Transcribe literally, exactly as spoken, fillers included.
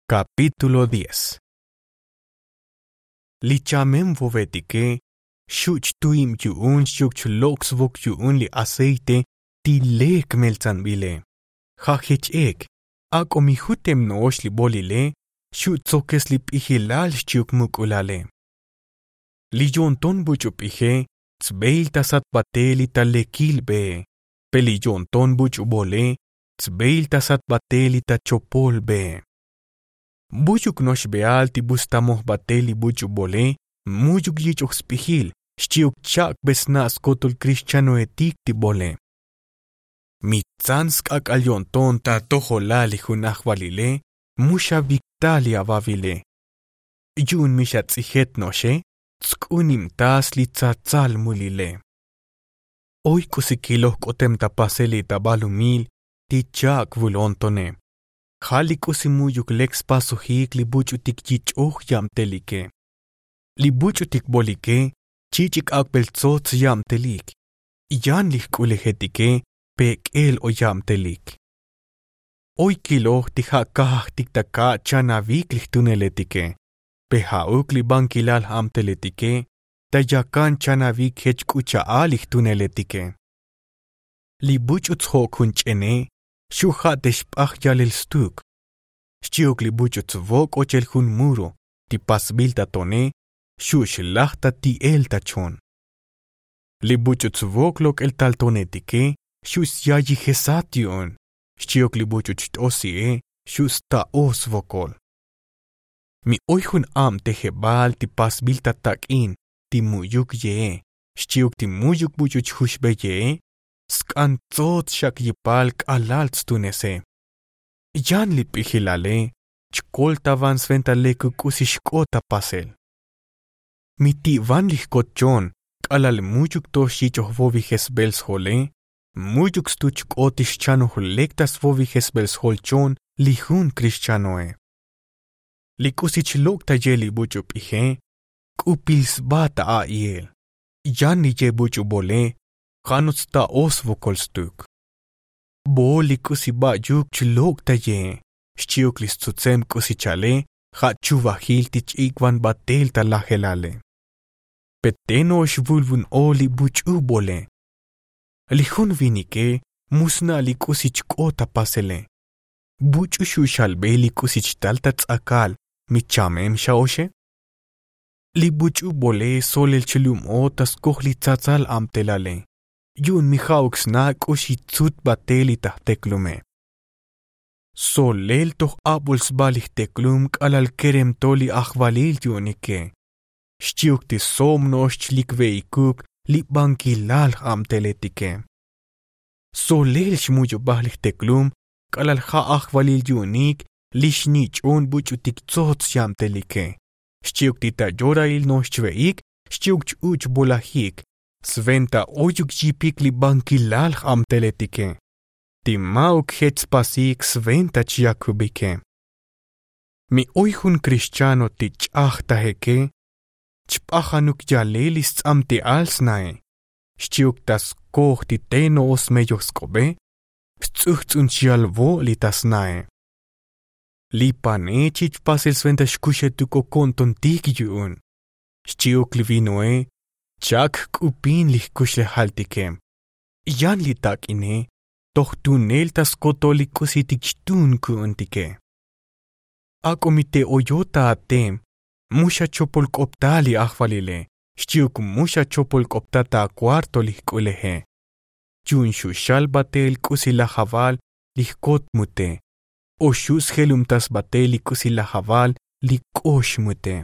Kapítulo diez. Li chamem vovetike xu' chtu'ib yu'un xchi'uk chlok' svok yu'un li aceite ti lek meltsanbile. Ja' jech ek ak'o mi jutem no'ox li bolile xu' tsokes li p'ijilal xchi'uk muk'ulale. Li yo'nton buch'u p'ije tsbeil ta sat batel li ta lekil bee. Pe li yo'nton buch'u bole tsbeil ta sat batel li ta chopol bee. Mu'yuk no'ox beal ti bu stamoj batel li buch'u bole mu'yuk yich'oj sp'ijil xchi'uk cha'kbe sna' skotol krixchanoetik ti bole. Mi tsan sk'ak'al yo'nton ta atojolal li jun ajvalile mu xavikta li avavile. Yu'un mi xats'ijet no'oxe tsk'unibtas li tsatsal mulile. Oy k'usi kiloj k'otem ta pasel li ta balumil ti cha'k vulontone. Ja' li k'usi mu'yuk lek spasojik li buch'utik yich'oj yabtelike. Li buch'utik bolike chich'ik ak'bel tsots yabtelik. Yan li jk'ulejetike pek'el o yabtelik. Oy kiloj ti ja' kajajtik ta ka' chanavik li jtuneletike. Pe ja'uk li bankilal j'abteletike ta yakan chanavik jech k'u cha'al li jtuneletike. Li buch'u tsjok' jun ch'ene xu' ja' te xp'aj yalel stuk. Xchi'uk li buch'u tsvok' ochel jun muro ti pasbil ta tone xu' xlaj ta ti'el ta chon. Li buch'u tsvok' lok'el tal tonetike xu' syayijesat yu'un xchi'uk li buch'u cht'osi'e xu' sta'o svokol. Mi oy jun abtejebal ti pasbil ta tak'in ti mu'yuk ye'e xchi'uk ti mu'yuk buch'u chjuxbe ye'e sk'an tsots xak yipal k'alal tstuneseb. Yan li p'ijilale chkoltavan sventa lekuk k'usi xk'ot ta pasel. Mi ti'van li jkot chon k'alal mu'yuk to xyich'oj vovijesbel sjole mu'yuk stu chk'ot ti xchanoj lek ta svovijesbel sjol chon li jun krixchanoe. Li k'usi chlok' ta ye li buch'u p'ije k'upil sba ta a'iel. Yan li ye buch'u bole ja' no'ox sta'o svokol stuk. Bo li k'usi ba'yuk chlok' ta ye xchi'uk li stsutsem k'usi chale ja' chuvajil ti ch-ik'van batel ta lajelale. Pe te no'ox vulvun o li buch'u bole. Li jun vinike mu sna' li k'usi chk'ot ta pasele. Buch'u xu' xalbe li k'usi chtal ta ts'akal mi chamem xa'oxe. Li buch'u bole solel chlum o ta skoj li tsatsal abtelale yu'un mi ja'uk sna' k'uxi tsut batel li ta jteklume. Solel toj abol sba li jteklum k'alal kerem to li ajvalil yu'unike xchi'uk ti sob no'ox chlikve'ikuk li bankilal j'abteletike. Solel xmu'yubaj li jteklum k'alal ja' ajvalil yu'unik li xnich'on buch'utik tsots yabtelike xchi'uk ti ta yorail no'ox chve'ik xchi'uk ch-uch'bolajik sventa oyuk yipik li bankilal j'abteletike ti ma'uk jech spasik sventa chyakubikem. Mi oy jun krixchano ti ch'ajtajeke chp'ajanuk yalel li sts'amti'al snae xchi'uk ta skoj ti te no'ox smeyoj sk'obe sts'ujts'un chyalvo' li ta snae. Li pane chich pasel sventa xkuxetuk o ko'ntontik yu'un xchi'uk li vinoe cha'k jk'upin li jkuxlejaltike. Yan li tak'ine toj tunel ta skotol li k'usitik xtuun ku'untike. Ak'o mi te oyot ta atem mu xachopolk'opta li ajvalile xchi'uk mu xachopolk'opta ta akuarto li jk'uleje. Yu'un xu' xal batel k'usi lajaval li jkot mute o xu' sjelubtas batel li k'usi lajaval li k'ox mute.